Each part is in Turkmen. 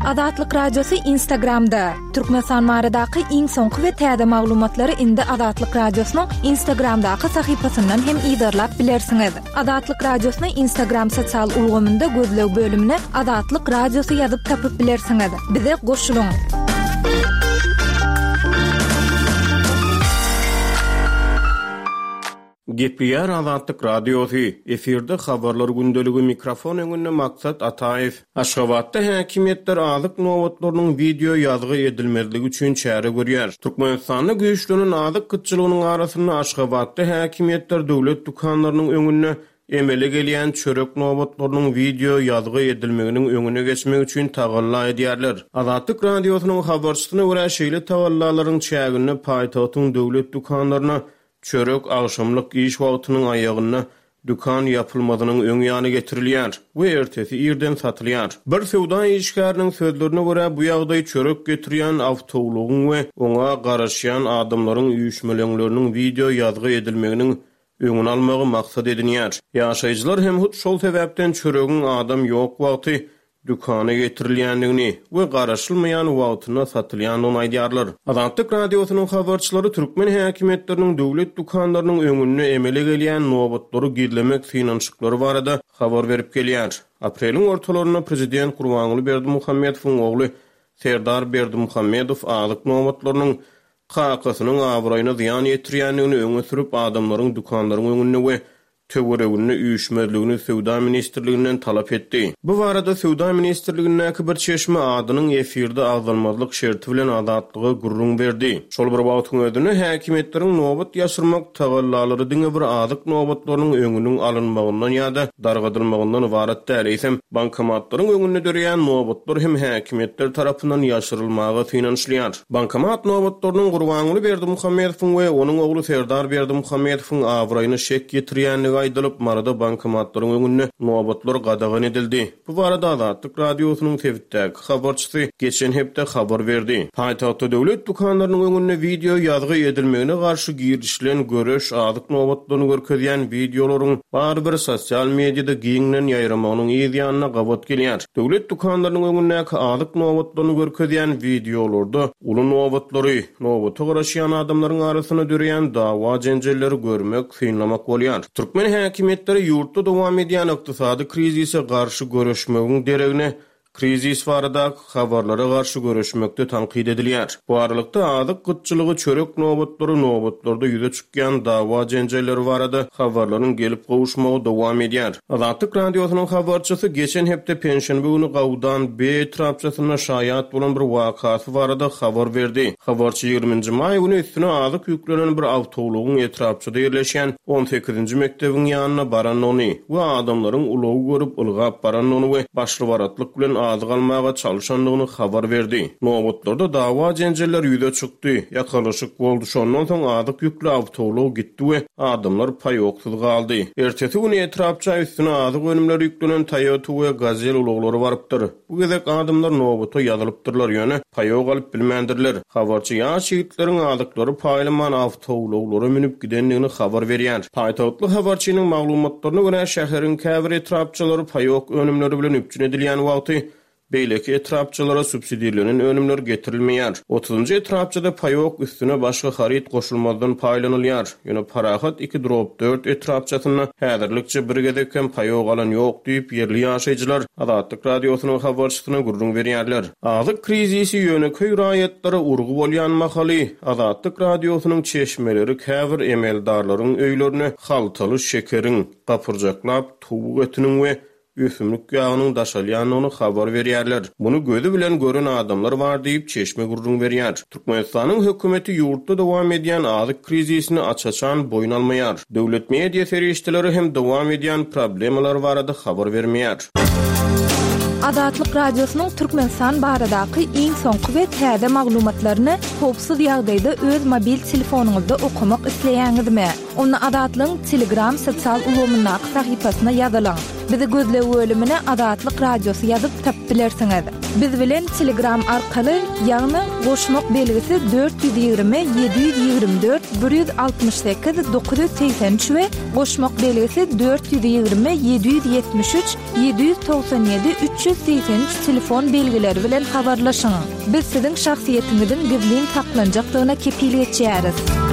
Azatlyk Radiosy Instagramda. Türkmenistan baradaky iň soňky we täze maglumatlary indi Azatlyk Radiosynyň Instagramdaky sahypasyndan hem yzarlap bilersiňiz. Azatlyk Radiosyny Instagram sosial ulgamynda gözleg bölümine Azatlyk Radiosy ýazyp tapyp bilersiňiz. Bize goşulyň! Gepleýär Azatlyk Radiosy, efirde Habarlar gündeligi mikrofon öňünde Maksat Ataýew. Aşgabatda häkimiýetler azyk nobatlarynyň wideo ýazgy edilmezligi üçin çäre görýär. Türkmenistanda güýçlenen azyk gytçylygynyň arasynda Aşgabatda häkimiýetler döwlet dükanlarynyň öňünde emele gelýän çörek nobatlarynyň wideo ýazgy edilmeginiň öňüne geçmek üçin tagalla edýärler. Azatlyk Radiosynyň habarçysyna görä, şeýle tagallalaryň çäginde paýtagtyň döwlet dükanlaryna Çörek agşamlyk iş wagtynyň aýagynda dükan ýapylmazynyň öň ýany getirilýär we ertesi irden satylýar. Bir söwda işgäriniň sözlerine görä, bu ýagdaý çörek getirýän awtoulagyň we oňa garaşýan adamlaryň üýşmeleňleriniň wideo ýazgy edilmeginiň öňüni almagy maksat edinýär. Ýaşaýjylar hem hut şol sebäpden çöregiň adam ýok wagty dükana getirilýändigini we garaşylmaýan wagtynda satylýandygyny aýdýarlar. Azatlyk Radiosynyň habarçylary türkmen häkimiýetleriniň döwlet dükanlarynyň öňünde emele gelýän nobatlary gizlemek synanyşyklary barada habar berip gelýär. Apreliň ortalarynda prezident Gurbanguly Berdimuhamedowyň ogly Serdar Berdimuhamedow azyk nobatlarynyň kakasynyň abraýyna zyýan ýetirýändigini öňe sürüp, adamlaryň dükanlaryň öňünde we töwereginde üýşmezligini Söwda ministrliginden talap etdi. Bu barada Söwda ministrligindäki bir çeşme adynyň efirde agzalmazlyk şerti bilen Azatlyga gürrüň berdi. Şol bir wagtyň özünde, häkimiýetleriň nobat ýaşyrmak tagallalary diňe bir azyk nobatlarynyň öňüniň alynmagyndan ýa-da dargadylmagyndan ybarat däl, eýsem, bankomatlaryň öňünde döreýän nobatlar hem häkimiýetler tarapyndan ýaşyrylmaga synanyşylýar. Bankomat nobatlarynyň Gurbanguly Berdimuhamedowyň we onuň ogly Serdar Berdimuhamedowyň abraýyna şek ýetirýändigi aýdylyp, Maryda bankomatlaryň öňünde nobatlar gadagan edildi. Bu barada Azatlyk Radiosynyň sebitdäki habarçysy geçen hepde habar berdi. Paýtagtda döwlet dükanlarynyň öňünde wideo ýazgy edilmegine garşy girişilen göreş azyk nobatlaryny görkezýän wideolaryň barybir sosial mediada giňden ýaýramagynyň yz ýanyna gabat gelýär. Döwlet dükanlarynyň öňündäki azyk nobatlaryny görkezýän wideolarda uly nobatlary, nobata garaşýan adamlaryň arasynda döreýän dawa-jenjelleri görmek, synlamak bolýar. Türkmen häkimiýetleri ýurtda dowam edýän ykdysady krizise garşy göreşmegiň deregine, krizis baradaky habarlara garşy göreşmekde tankyt edilýär. Bu aralykda, azyk gytçylygy, çörek nobatlary, nobatlarda ýüze çykýan dawa-jenjelleri barada habarlaryň gelip gowuşmagy dowam edýär. Azatlyk Radiosynyň habarçysy geçen hepde penşenbe güni Gawdan B etrapçasynda şaýat bolan bir wakasy barada habar berdi. Habarçy ýigriminji maý güni üstüne azyk ýüklenen bir awtoulagyň etrapçada ýerleşýän on sekizinji mekdebiň ýanyna barandygyny we adamlaryň ulagy görüp ylgap barandygyny we başly-baratlyk bilen azyk almaga çalşandygyny habar berdi. Nobatlarda dawa-jenjeller ýüze çykdy, ýakalaşyk boldy, şondan soň azyk ýükli awtoulag gitdi we adamlar paýoksyz galdy. Ertesi güni etrapça üstüne azyk önümleri ýüklenen Toyota we Gazel ulaglary barypdyr. Bu gezek adamlar nobata ýazylypdyrlar, ýöne paýok alyp bilmändirler. Habarçy ýaş ýigitleriň azyklary paýlaman awtoulaglara münüp gidendigini habar berýär. Paýtagtly habarçynyň maglumatlaryna görä, şäheriň käbir etrapçalary paýok önümleri bilen üpjün edilýän wagty, beýleki etrapçalara subsidirlenen önümler getirilmeýär. Otuzynjy etrapçada paýok üstüne başga haryt goşulmazdan paýlanylýar. Ýöne Parahat iki drob dört etrapçasynda häzirlikçe bir gezek hem paýok alan ýok diýip, ýerli ýaşaýjylar Azatlyk Radiosynyň habarçysyna gürrüň berýärler. Azyk krizisi ýönekeý raýatlara urgy bolýan mahaly, Azatlyk Radiosynyň çeşmeleri käbir emeldarlaryň öýlerine haltaly şekeriň, gapyrjaklap towuk etiniň we ösümlik ýagynyň daşalýandygyny habar berýärler. Muny gözi bilen gören adamlar bar diýip, çeşme gürrüň berýär. Türkmenistanyň hökümeti ýurtda dowam edýän azyk krizisini aç-açan boýun almaýar. Döwlet media serişdeleri hem dowam edýän problemalar barada habar bermeýär. Azatlyk Radiosynyň Türkmenistan baradaky iň soňky we täze maglumatlaryny howpsuz ýagdaýda öz mobil telefonyňyzda okamak isleýäňizmi? Onda Azatlygyň Telegram sosial ulgamyndaky sahypasyna ýazylyň. Bizi gözleg bölümine Azatlyk Radiosy ýazyp tapyp bilersiňiz. Biz bilen Telegram arkaly, ýagny goşmak belgisi 420 724 168 983 we goşmak belgisi 420 773 797 383 telefon belgileri bilen habarlaşyň. Biz siziň şahsyýetiňiziň gizlin saklanjakdygyna kepil geçýäris.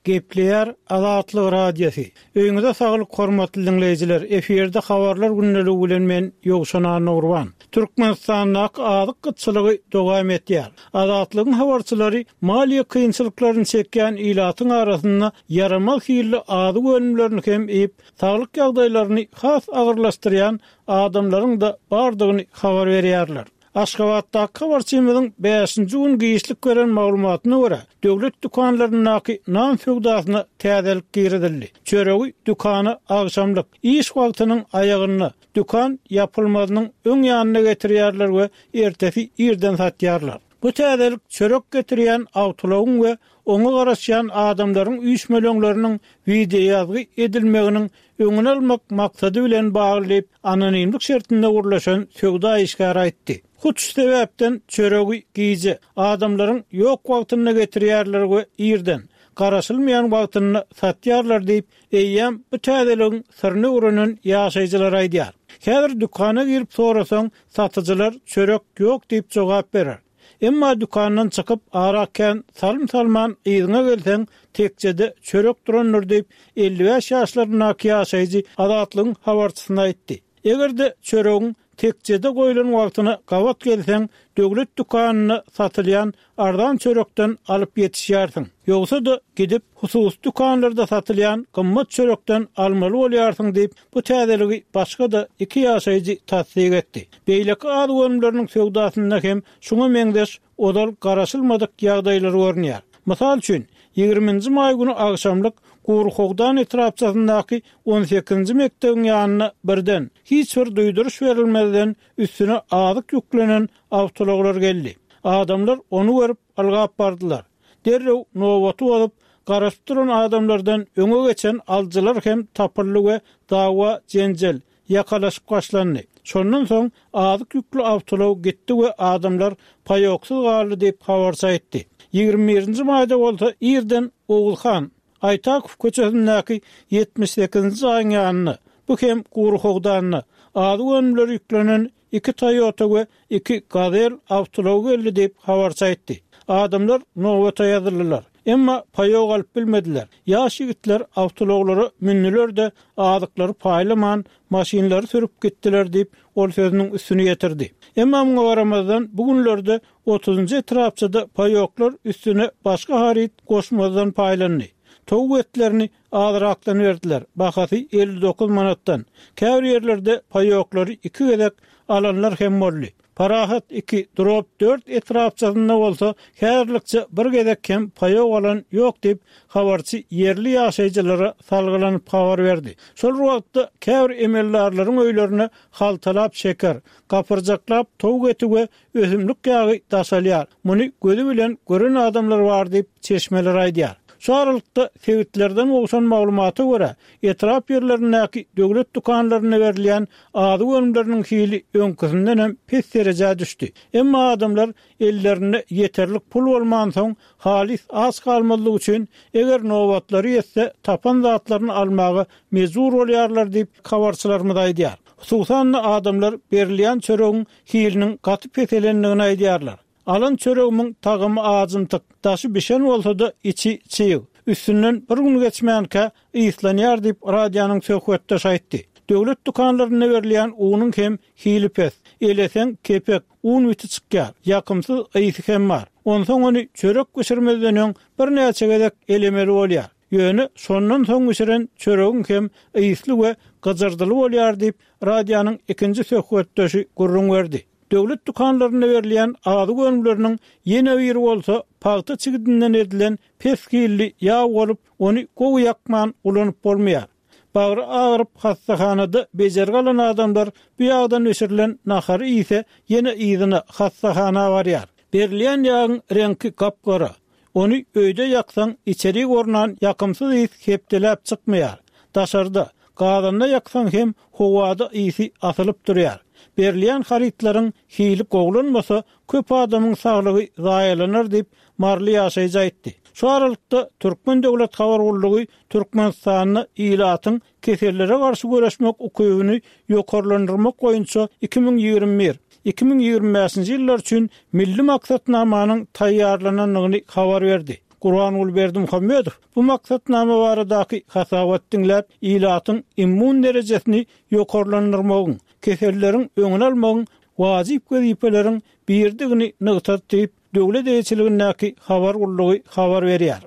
Gepleýär Azatlyk Radiosy. Öýüňize saglyk hormatly diňleýjiler! Efirde habarlar gündeligi bilen men Ýowşan Annagurban. Türkmenistandaky azyk gytçylygy dowam etýär. Azatlygyň habarçylary maliýe kynçylyklaryny çekýän ilatyň arasynda ýaramaz hilli azyk önümlerini hem iýip, saglyk ýagdaýlaryny has agyrlaşdyrýan adamlaryň-da bardygyny habar berýärler. Aşgabatdaky habarçymyzyň bäşinji gün giçlik beren maglumatyna görä, döwlet dükanlaryndaky nan söwdasyna täzelik girizildi. Çöregi dükana agşamlyk, iş wagtynyň aýagynda, dükan ýapylmazynyň öň ýanynda getirýärler we ertesi irden satýarlar. Bu täzelik çörek getirýän awtoulagyň we oňa garaşýan adamlaryň üýşmeleňleriniň wideoýazgy edilmeginiň öňüni almak maksady bilen bagly diýip, anonimlik şertinde gürleşen söwda işgäri aýtdy. Hut şu sebäpden çöregi gije, adamlaryň ýok wagtynda getirýärler we irden, garaşylmaýan wagtynda satýarlar diýip, eýýäm bu täzeligiň syryny öwrenen ýaşaýjylar aýdýar. Häzir dükana girip sorasaň, satyjylar çörek ýok diýip jogap berer. Emma dükandan çykyp, ara kän salym salman yzyňa gelseň, tekjede çörek durandyr diýip, 55 ýaşlaryndaky ýaşaýjy Azatlygyň habarçysyna aýtdy. Eger-de çöregiň tekjede goýlan wagtyna gabat gelseň, döwlet dükanynda satylýan arzan çörekden alyp ýetişýärsiň. Ýogsa-da, gidip, hususy dükanlarda satylýan gymmat çörekden almaly bolýarsyň diýip, bu täzeligi başga-da iki ýaşaýjy tassyk etdi. Beýleki azyk önümleriniň söwdasynda hem şuňa meňzeş ozal garaşylmadyk ýagdaýlar görünýär. Mysal üçin, ýigriminji maý güni agşamlyk Guryhowdan etrapçasyndaky on sekizinji mekdebiň ýanynda birden, hiç bir duýduryş berilmezden üstüne azyk ýüklenen awtoulaglar geldi. Adamlar ony görüp, ylgap bardylar. Derrew nobaty bozup, garaşyp duran adamlardan öňe geçen alyjylar hem tapyldy we dawa-jenjel, ýakalaşyk başlandy. Şondan soň azyk ýükli awtoulag gitdi we adamlar paýoksyz galdy diýip, habarçy aýtdy. 21 nji maýda bolsa irden Oguzhan Aýtakow köçesindäki 78 nji jaýyň ýanynda, bu hem gury howdanda, azyk önümleri ýüklenen Iki Toyota we iki Gazel awtoulagy geldi diýip, habarçy aýtdy. Adamlar nobata ýazyldylar. Emma paýok alyp bilmediler. Ýaş ýigitler awtoulaglara mündüler-de, azyklary paýlaman, maşynlary sürüp gitdiler diýip, ol sözüniň üstüni ýetirdi. Emma muňa garamazdan, bu günlerde otuzynjy etrapçada paýoklar üstüne başga haryt goşmazdan paýlandy. Towuk etlerini Azrakdan berdiler, bahasy 59 manatdan. Käbir ýerlerde paýoklary iki gezek alanlar hem boldy. Parahat iki, Drop dört etrapçasynda bolsa häzirlikçe bir gezek hem paýok alan ýok diýip, habarçy ýerli ýaşaýjylara salgylanyp habar berdi. Şol bir wagtda, käbir emeldarlaryň öýlerine haltalap şeker, gapyrjaklap towuk eti we Ösümlik ýagy daşalýar. Muny gözi bilen gören adamlar bar diýip, çeşmeler aýdýar. Şu aralykda, sebitlerden gowşan maglumata görä, etrap ýerlerindäki döwlet dükanlarynda berilýän azyk önümleriniň hili öňküsinden hem pes derejä düşdi. Emma adamlar ellerinde ýeterlik pul bolmansoň, halys aç galmazlyk üçin, eger nobatlary ýetse, tapan zatlaryny almaga mejbur bolýarlar diýip, habarçylarymyz aýdýar. Hususan-da, adamlar berilýän çöregiň hiliniň gaty peselendigini aýdýarlar. Alan çöregimiň tagamy ajymtyk, daşy bişen bolsa-da, içi çyg. Üstünden bir gün geçmänkä, yslanýar diýip, radionyň söhbetdeşi aýtdy. Döwlet dükanlarynda berilýän unuň hem hili pes. Eleseň, kepek, un biti çykýar. Ýakymsyz ysy hem bar. Onsoň ony çörek bişirmezden öň birnäçe gezek elemeli bolýar. Ýöne şondan soň bişiren çöregiň hem ysly we gyjyrdyly bolýar diýip, radionyň ikinji söhbetdeşi gürrüň berdi. Döwlet dükanlarynda berilýän azyk önümleriniň ýene biri bolsa pagta çigidinden edilen pes hilli ýag bolup, ony gowy ýakman ulanyp bolmaýar. Bagry agyryp hassahanada bejergi alan adamlar bu ýagdan bişirilen nahary iýse, ýene yzyna hassahana barýar. Berilýän ýagyň reňki gap-gara. Ony öýde ýaksaň, içerik ornan ýakymsyz ys hepdeläp çykmaýar. Daşarda, Gazanda ýaksaň hem howada ysy asylyp durýar. Berilýän harytlaryň hili gowulanmasa, köp adamyň saglygy zaýalanar diýip, maryly ýaşaýjy aýtdy. Şu aralykda, Türkmen döwlet habar gullugy Türkmenistanda ilatyň kesellere garşy göreşmek ukybyny ýokarlandyrmak boýunça 2021, 2025-nji ýyllar üçin Milli maksatnamanyň taýýarlanandygyny habar berdi. Gurbanguly Berdimuhamedow bu maksatnama baradaky hasabaty diňläp, ilatyň immun derejesini ýokarlandyrmagyň, keselleriň öňüni almagyň wajyp wezipeleriň biridigini nygtady diýip, döwlet eýeçiligindäki habar gullugy habar berýär.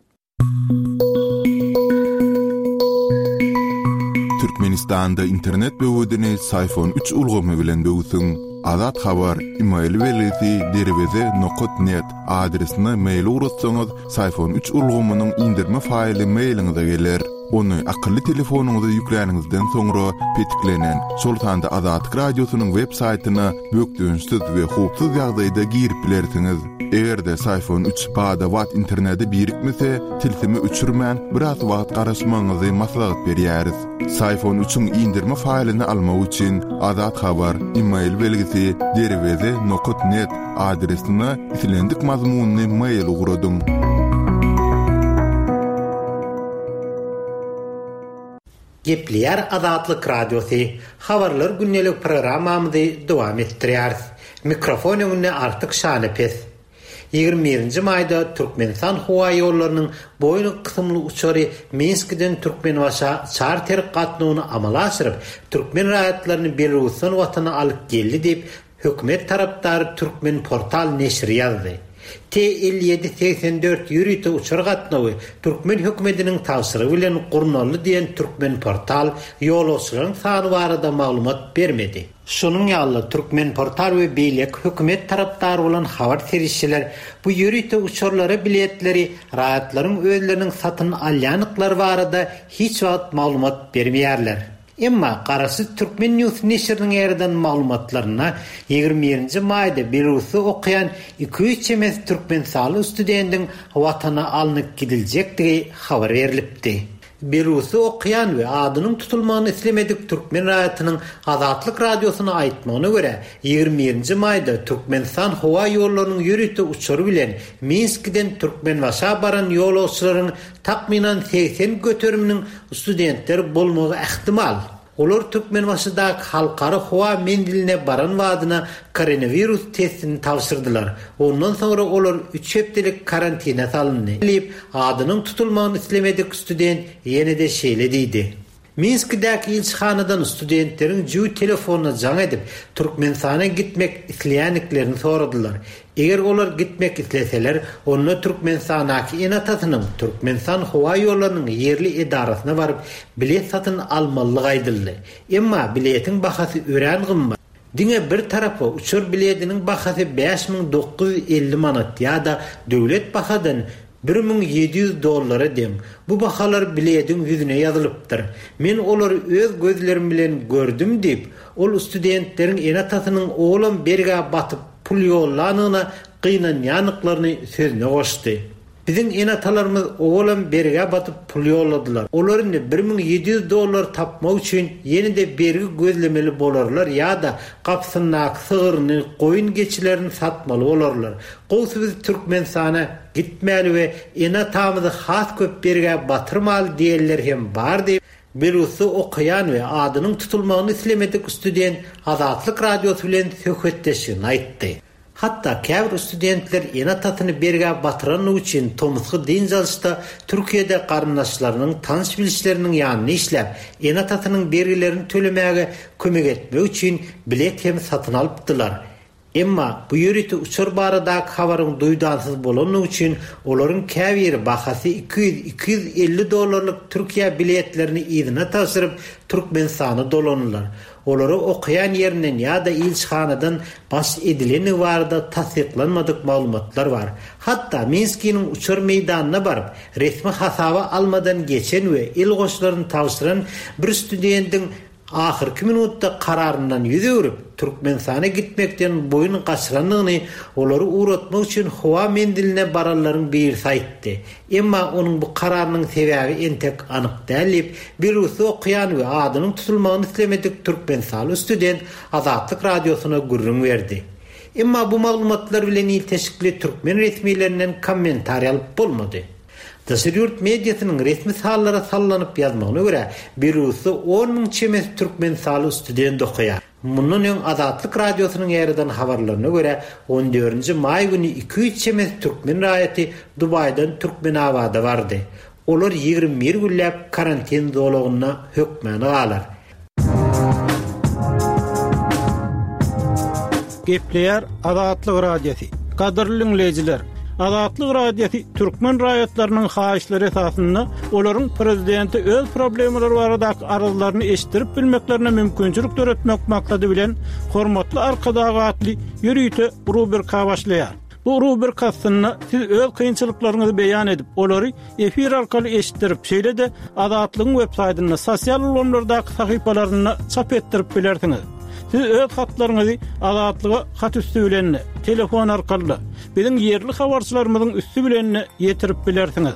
Türkmenistanda internet böwedini Syfon üç ulgamy bilen böwsüň. Azat Habar, email belgisi derweze nokat net adresine mail ugratsaňyz, Syfon üç ulgamynyň inderme faýly mailiňize geler. Ony akylly telefonyňyza ýükläniňizden soňra petiklenen, şol sanda Azatlyk Radiosynyň web saýtyna bökdençsiz we howpsuz ýagdaýda girip bilersiňiz. Eger-de Syfon üç bada-bat internete birikmese, tilsimi öçürmän, biraz wagt garaşmagyňyzy maslahat berýäris. Syfon üçiň indirme faýlyny almak üçin Azat Habar, email belgisi, derweze nokat net adresine islendik mazmunly mail ugradyň. Gepleýär Azatlyk Radiosy, Habarlar gündelik programmamyzy dowam etdirýäris. Mikrofon öňünde Artyk Şanepes. 21-nji maýda Türkmenistan howaýollarynyň Boeing kysymly uçary Minskiden Türkmenbaşa çarter gatnawyny amala aşyryp, türkmen raýatlaryny Belarusdan Watana alyp geldi diýip, hökümet tarapdary Türkmenportal neşiri ýazdy. T 57 84 ýörite uçar gatnawy türkmen hökümetiniň tabşyrygy bilen gurnaldy diýen Türkmenportal ýolagçylaryň sany barada maglumat bermedi. Şonuň ýaly-da, Türkmenportal we beýleki hökümet tarapdary bolan habar serişdeler bu ýörite uçarlara biletleri raýatlaryň özleriniň satyn alýandyklary barada hiç wagt maglumat bermeýärler. Emma garaşsyz Turkmen News neşiriniň ýaýradan maglumatlarynda 21-nji maýda Belarusda okaýan 200 çemesi türkmenistanly studendiň Watana alnyp gidiljekdigi habar berlipdi. Belarusda okaýan we adynyň tutulmagyny islemedik türkmen raýatynyň Azatlyk Radiosyna aýtmagyna görä, 21-nji maýda Türkmenistan howa ýollarynyň ýörite uçary bilen Minskiden Türkmenbaşa baran ýolagçylaryň takmynan 80 göteriminiň studentler bolmagy ähtimal. Olar Türkmenbaşydaky Halkara howa menziline baran badyna koronawirus testini tabşyrdylar. Ondan soňra olar üç hepdelik karantine salyndy, diýip, adynyň tutulmagyny islemedik student ýene-de şeýle diýdi. Minskidäki ilçihanadan studentleriň jübi telefonyna jaň edip, Türkmenistana gitmek isleýändiklerini soradylar. Eger olar gitmek isleseler, onda Türkmenistandaky ene-atasynyň Türkmenistan howa ýollarynyň ýerli edarasyna baryp, bilet satyn almalydygy aýdyldy. Emma biletiň bahasy örän gymmat. Diňe bir tarapa uçar bilediniň bahasy 5950 manat ýa-da döwlet bahadan 1700 dollara deň. Bu bahalar bilediň ýüzüne ýazylypdyr. Men olary öz gözlerim bilen gördüm diýip, ol studentleriň ene-atasynyň olam bergä batyp pul ýollanyna gynanýandyklaryny sözüne goşdy. Biziň ene-atalarymyz owalam bergä batyp pul ýolladylar. Olar indi 1700 dollar tapmak üçin ýene-de bergi gözlemeli bolarlar ýa-da gapysyndaky sygyryny, goýun-geçilerini satmaly bolarlar. Gowusy biz Türkmenistana gitmäli we ene-atamyzy has köp bergä batyrmaly diýenler hem bar diýip, Belarusda okaýan we adynyň tutulmagyny islemedik student Azatlyk Radiosy bilen söhbetdeşliginde aýtdy. Hatda käbir studentler ene-atasyny bergä batyranlygy üçin tomusky dynç alyşda Türkiýede garyndaşlarynyň, tanyş-bilişleriniň ýanynda işläp, ene-atasynyň bergilerini tölemäge kömek etmek üçin bilet hem satyn alypdylar. Emma bu ýörite uçar baradaky habaryň duýdansyz bolandygy üçin olaryň käbiri bahasy 200, 250 dollarlyk Türkiýä biletlerini yzyna tabşyryp, Türkmenistana dolandylar. Olara okaýan ýerinden ýa-da ilçihanadan baş edilendigi barada tassyklanmadyk maglumatlar bar. Hatda Minskiniň uçar meýdanyna baryp, resmi hasaba almadan geçen we el goşlaryny tabşyran bir studentiň. ahyrky minutda kararyndan ýüz öwrüp, Türkmenistana gitmekden boýun gaçyrandygyny olary ugratmak üçin howa menziline baranlaryň birisi aýtdy. Emma onuň bu kararynyň sebäbi entek anyk däl diýip, Belarusda okaýan we adynyň tutulmagyny islemedik türkmenistanly student Azatlyk Radiosyna gürrüň berdi. Emma bu maglumatlar bilen ilteşikli türkmen resmilerinden kommentariý alyp bolmady. Daşary ýurt mediasynyň resmi sanlara sallanyp ýazmagyna görä, Belarusda on müň çemesi türkmenistanly student okaýar. Mundan öň Azatlyk Radiosynyň ýaýradan habarlaryna görä, on dördünji maý güni 200 çemesi türkmen raýaty Dubaýdan Türkmenabada bardy. Olar 21 günläp karantin zolagynda hökmany galar. Gepleýär Azatlyk Radiosy. Gadyrly diňleýjiler, Azatlyk Radiosy türkmen raýatlarynyň haýyşlary esasynda olaryň prezidente öz problemalary baradaky arzlaryny eşitdirip bilmeklerine mümkinçilik döretmek maksady bilen Hormatly Arkadag atly ýörite rubrika başlaýar. Bu rubrika astynda siz öz kynçylyklaryňyzy beýan edip, olary efir arkaly eşitdirip, şeýle-de Azatlygyň web saýtynda, sosial ulgamlardaky sahypalarynda çap etdirip bilersiňiz. Siz öz hatlaryňyzy Azatlyga hat üsti bilen-de, telefon arkaly-da, biziň ýerli habarçylarymyzyň üsti bilen-de ýetirip bilersiňiz.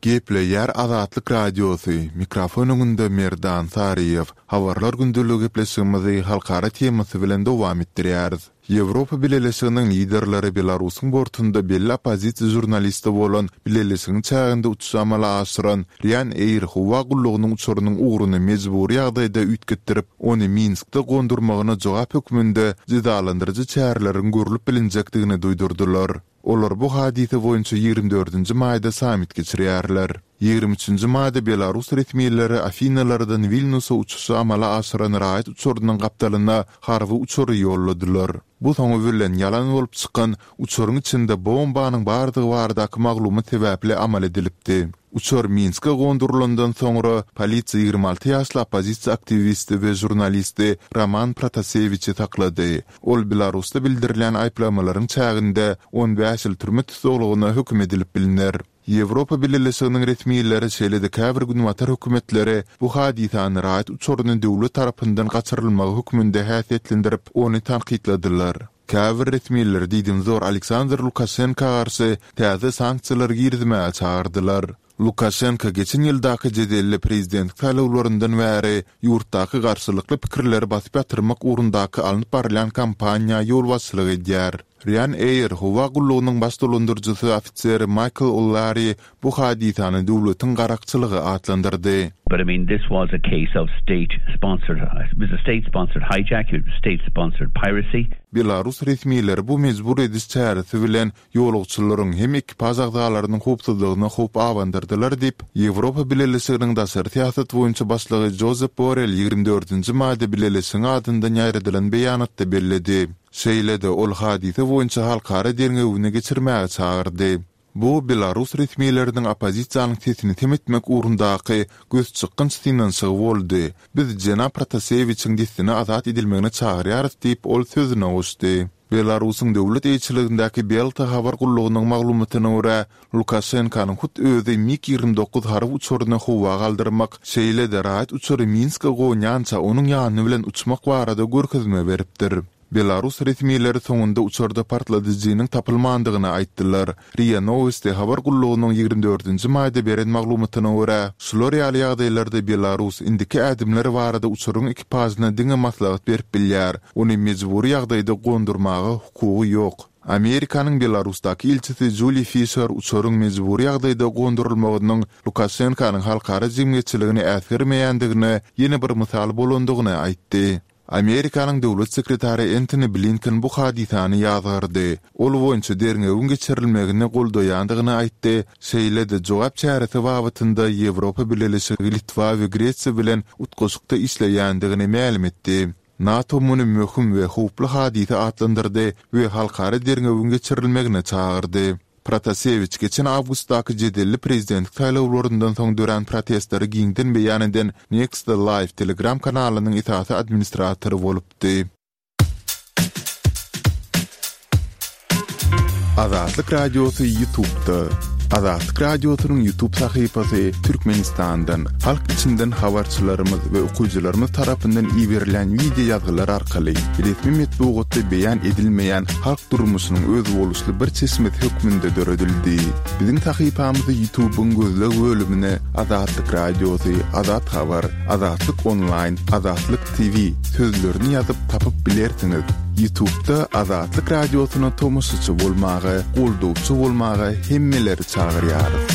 Gepleýär Azatlyk Radiosy, mikrofon öňünde Merdan Saryýew. Habarlar gündeligi gepleşigimizi halkara temasy bilen dowam etdirýäris. Ýewropa Bileleşiginiň liderleri Belarusyň bortunda belli oppozisiýa žurnalisti bolan Bileleşigiň çäginde uçuşy amala aşyran Ryanair howa gullugynyň uçarynyň ugruny mejbury ýagdaýda üýtgetdirip, ony Minskde gondurmagyna jogap hökmünde jezalandyryjy çäreleriň görlüp bilinjekdigini duýdurdylar. Olar bu hadysa boýunça ýigrimi dördünji maýda sammit geçirýärler. Ýigrimi üçünji maýda belarus resmileri Afinalardan Wilnusa uçuşy amala aşyran raýat uçarynyň gapdalyna harby uçary ýolladylar. Bu soňy bilen ýalan bolup çykan uçaryň içinde bombanyň bardygy baradaky maglumat sebäpli amal edilipdi. Uçar Minske gondurylandan soňra, polisiýa 26 ýaşly oppozisiýa aktiwisti we žurnalisti Roman Protasewiçi saklady. Ol Belarusda bildirilýän aýyplamalaryň çäginde 15 ýyl türme tussaglygyna höküm edilip bilner. Ýewropa Bileleşiginiň resmileri, şeýle-de käbir günbatar hökümetleri bu hadysany raýat uçaryny döwlet tarapyndan gaçyrylmagy hökmünde häsiýetlendirip, ony tankytladylar. Käbir resmiler diýdimzor Aleksandr Lukaşenka garşy täze sanksiýalary girizmäge çagyrdylar. Lukaşenko geçen ýyldaky jedelli prezidentlik saýlawlaryndan bäri ýurtdaky garşylykly pikirleri basyp ýatyrmak ugrundaky alnyp barylýan kampaniýa ýolbaşçylyk edýär. Ryanair howa gullugynyň baş dolandyryjysy ofiseri Maýkl O'Lari bu hadysany döwletiň garakçylygy atlandyrdy. But I mean this was a case of state sponsored, it was a state sponsored hijack, it was state sponsored piracy. Belarus resmileri bu mejbur ediş çäresi bilen ýolagçylaryň hem ekipaž agzalarynyň howpsuzlygyna howp abandyrdylar diýip, Ýewropa Bileleşiginiň daşary syýasat boýunça başlygy Jozep Borrell 24-nji maýda Bileleşigiň adyndan ýaýradylan beýanatda belledi. Şeýle-de, ol hadysa boýunça halkara derňewini geçirmäge çagyrdy. Bu belarus resmileriniň oppozisiýanyň sesini sem etmek ugrundaky gözçykgynç synanyşygy boldy. Biz jenap Protasewiçiň dessine azat edilmegine çagyrýarys diýip, ol sözüne goşdy. Belarusyň döwlet eýeçiligindäki Belta habar gullugynyň maglumatyna görä, Lukaşenkanyň hut özi MiG-29 harby uçaryny howa galdyrmak, şeýle-de raýat uçary Minske gonýança onuň ýany bilen uçmak barada görkezme beripdir. Belarus resmileri soňunda uçarda partladyjynyň tapylmandygyny aýtdylar. Ria Nowosti habar gullugynyň 24-nji maýda beren maglumatyna görä, şular ýaly ýagdaýlarda Belarus indiki ädimler barada uçaryň ekipažyna diňe maslahat berip bilýär, ony mejbury ýagdaýda gondurmaga hukugy ýok. Amerikanyň Belarusdaky ilçisi Juli Fişer uçaryň mejbury ýagdaýda gondurylmagynyň Lukaşenkanyň halkara jemgyýetçiligini äsgermeýändigine ýene bir mysal bolandygyny aýtdy. Amerikanyň döwlet sekretary Entoni Blinken bu hadysany ýazgardy. Ol boýunça derňewiň geçirilmegini goldaýandygyny aýtdy, şeýle-de jogap çäresi babatynda Ýewropa Bileleşigi Litwa we Gresiýa bilen utgaşykda işleýändigini mälim etdi. NATO muny möhüm we howply hadysa atlandyrdy we halkara derňewiň geçirilmegine çagyrdy. Protasewiç geçen awgustdaky jedelli prezidentlik saýlawlaryndan soň dörän protestleri giňden beýan eden Nexta Live Telegram kanalynyň esasy administratory bolupdy. Azatlyk Radiosy YouTube'da. Azatlyk Radiosynyň YouTube sahypasy Türkmenistandan, halk içinden habarçylarymyz we okyjylarymyz tarapyndan iberilýän wideo ýazgylar arkaly resmi metbugatda beýan edilmeýän halk durmuşynyň özboluşly bir çeşmesi hökmünde döredildi. Biziň sahypamyzy YouTube-yň gözleg bölümine Azatlyk Radiosy, Azat Habar, Azatlyk Onlaýn, Azatlyk TV sözlerini ýazyp tapyp bilersiňiz. Ýutubda Azatlyk Radiosyna tomaşaçy bolmaga, goldawçy bolmaga hemmeleri çagyrýarys.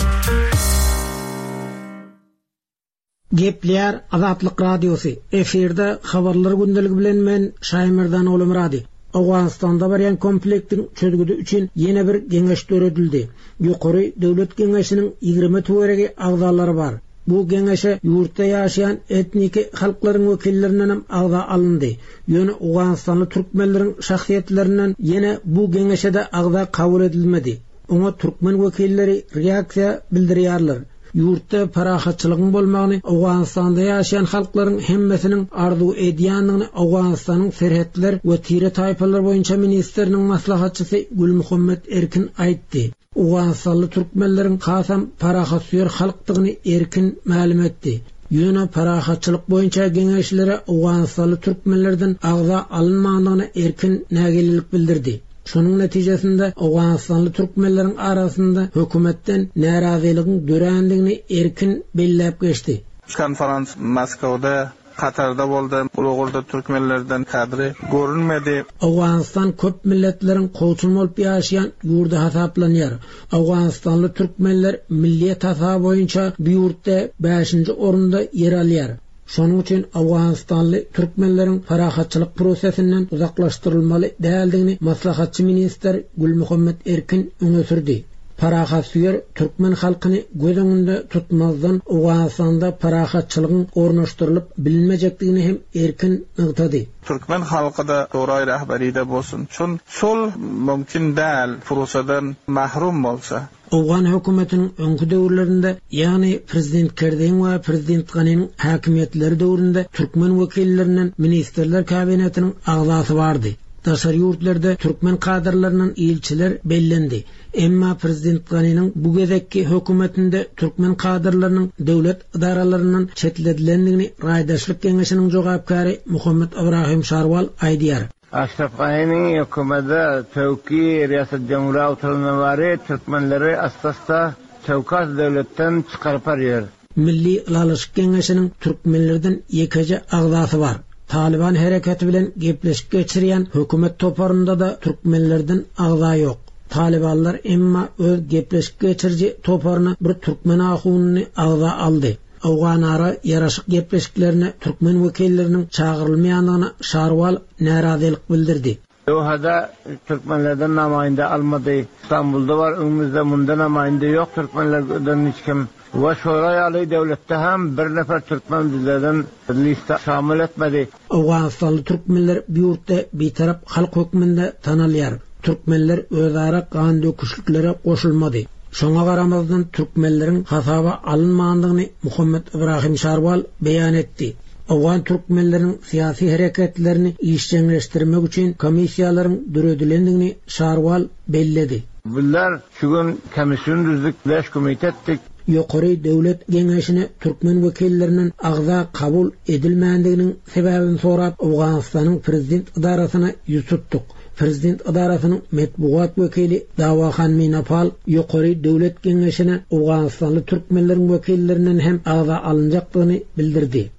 Gepleýär Azatlyk Radiosy, efirde Habarlar gündeligi bilen men Şaýmerdan Ogulmyrady. Owganystanda barýan konfliktiň çözgüdi üçin ýene bir geňeş döredildi. Ýokary döwlet geňeşiniň 20 töweregi agzalary bar. Bu geňeşe ýurtda ýaşaýan etniki halklaryň wekillerindenem agza alyndy. Ýöne owganystanly türkmenleriň şahsyýetlerinden ýene bu geňeşe-de agza kabul edilmedi. Oňa türkmen wekilleri reaksiýa bildirýärler. Ýurtda parahatçylygyň bolmagyny Owganystanda ýaşaýan halklaryň hemmesiniň arzuw edýändigini Owganystanyň serhetler we tire-taýpalar boýunça ministriniň maslahatçysy Gülmuhammet Erkin aýtdy. Owganystanly türkmenleriň hasam parahatsöýer halkdygyny Erkin mälim etdi. Ýöne parahatçylyk boýunça geňeşlere owganystanly türkmenlerden agza alynmandygyna Erkin nägilelik bildirdi. Şonuň netijesinde owganystanly türkmenleriň arasynda hökümetden närazylygyň dörändigini Erkin belläp geçdi. Konferans Moskawda, Katarda boldy. Bul ugurda türkmenlerden kadry görünmedi. Owganystan köp milletleriň kowçum bolup ýaşaýan ýurdy hasaplanýar. Owganystanly türkmenler milliýet hasaby boýunça bu ýurtda bäşinji orunda ýer alýar. Şonuň üçin owganystanly türkmenleriň parahatçylyk prosesinden uzaklaşdyrylmaly däldigini maslahatçy ministr Gülmuhammet Erkin öňe sürdi. Parahatsöýer türkmen halkyny göz öňünde tutmazdan Owganystanda parahatçylygyň ornaşdyrylyp bilinmejekdigini hem Erkin nygtady. Türkmen halky-da Şuraý Rahberide bolsun. Çün sulh mümkin däl purusadan mahrum bolsa. Owgan hökümetiniň öňki döwürlerinde, ýagny prezident Kerzeýiň we prezident Ganiniň häkimiýetleri döwründe türkmen wekillerinden Ministrler Kabinetiniň agzasy bardy. Daşary ýurtlarda türkmen kadrlaryndan ilçiler bellendi. Emma prezident Ganiniň bu gezekki hökümetinde türkmen kadrlarynyň döwlet edaralaryndan çetledilendigini Raýdaşlyk geňeşiniň jogapkäri Muhammet Ybrahim Şarwal aýdýar. Aşraf Ganiniň hökümede töwki Riýasat Jumhura oturandan bari türkmenleri assa-assa töwkas döwletden çykaryp barýar. Milli Ylalaşyk Geňeşiniň türkmenlerden ýekeje agzasy bar. Talyban hereketi bilen gepleşik geçirýän hökümet toparynda-da türkmenlerden agza ýok. Talybanlar emma öz gepleşik geçiriji toparyna bir türkmen ahunyny agza aldy. Owganara ýaraşyk gepleşiklerine türkmen wekilleriniň çagyrylmaýandygyna Şarwal närazylyk bildirdi. Dohada türkmenlerden namaýynda almady. Stambulda bar öňümizde munda namaýynda ýok türkmenlerden hiç kim. We şolar ýaly döwletde hem bir nefer türkmen bizlerden lista şamyl etmedi. Owganystanly türkmenler bu ýurtda bitarap halk hökmünde tanalýar. Türkmenler özara gan döküşliklere goşulmady. Şoňa garamazdan türkmenleriň hasaba alynmandygyny Muhammet Ibrahim Şarwal beýan etdi. Owgan türkmenleriniň syýasy hereketlerini işjeňleşdirmek üçin komissiýalaryň döredilendigini Şarwal belledi. Bizler şu gün komissiýony düzdük, bäş komite etdik. Ýokary döwlet geňeşine türkmen wekillerinden agza kabul edilmändiginiň sebäbini sorap, Owganystanyň prezident edarasyna ýüz tutduk. Prezident edarasynyň metbugat wekili Dawahan Minapal Ýokary döwlet geňeşine owganystanly türkmenleriň wekillerinden hem agza alynjakdygyny bildirdi.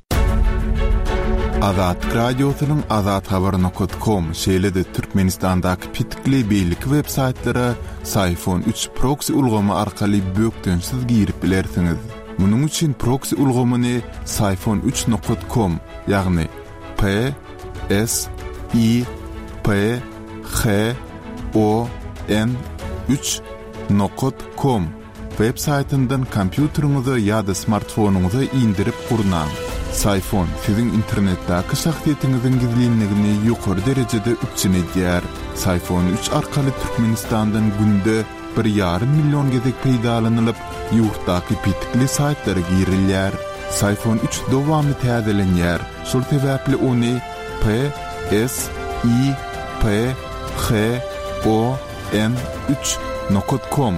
Azatlyk Radiosynyň Azathabar nokat kom, şeýle-de Türkmenistandaky petikli beýleki web saýtlara Syfon üç proksi ulgamy arkaly bökdençsiz girip bilersiňiz. Munuň üçin proksi ulgamyny Syfon üç nokat kom, ýagny P S I P H O N 3 nokat kom web saýtyndan kompýuteriňize ýa-da smartfonyňyza indirip gurnaň. Syfon siziň internetdäki şahsyýetiňiziň gizlinligini ýokary derejede üpjün edýär. Syfon 3 arkaly Türkmenistandan günde bir ýarym million gezek peýdalanylyp, ýurtdaky petikli saýtlara girilýär. Syfon 3 dowamly täzelenýär, şol sebäpli ony P, S, I, P, H, O, N 3 nokat kom.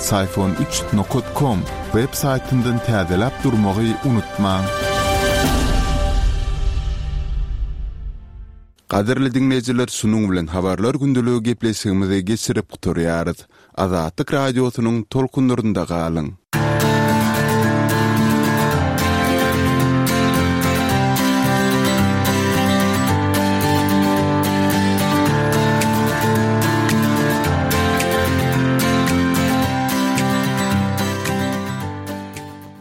Syfon üç nokat kom web saýtyndan täzeläp durmagy unutmaň. Gadyrly diňleýjiler şunuň bilen Habarlar gündeligi gepleşigimizi geçirip gutarýarys. Azatlyk Radiosynyň tolkunlarynda galyň!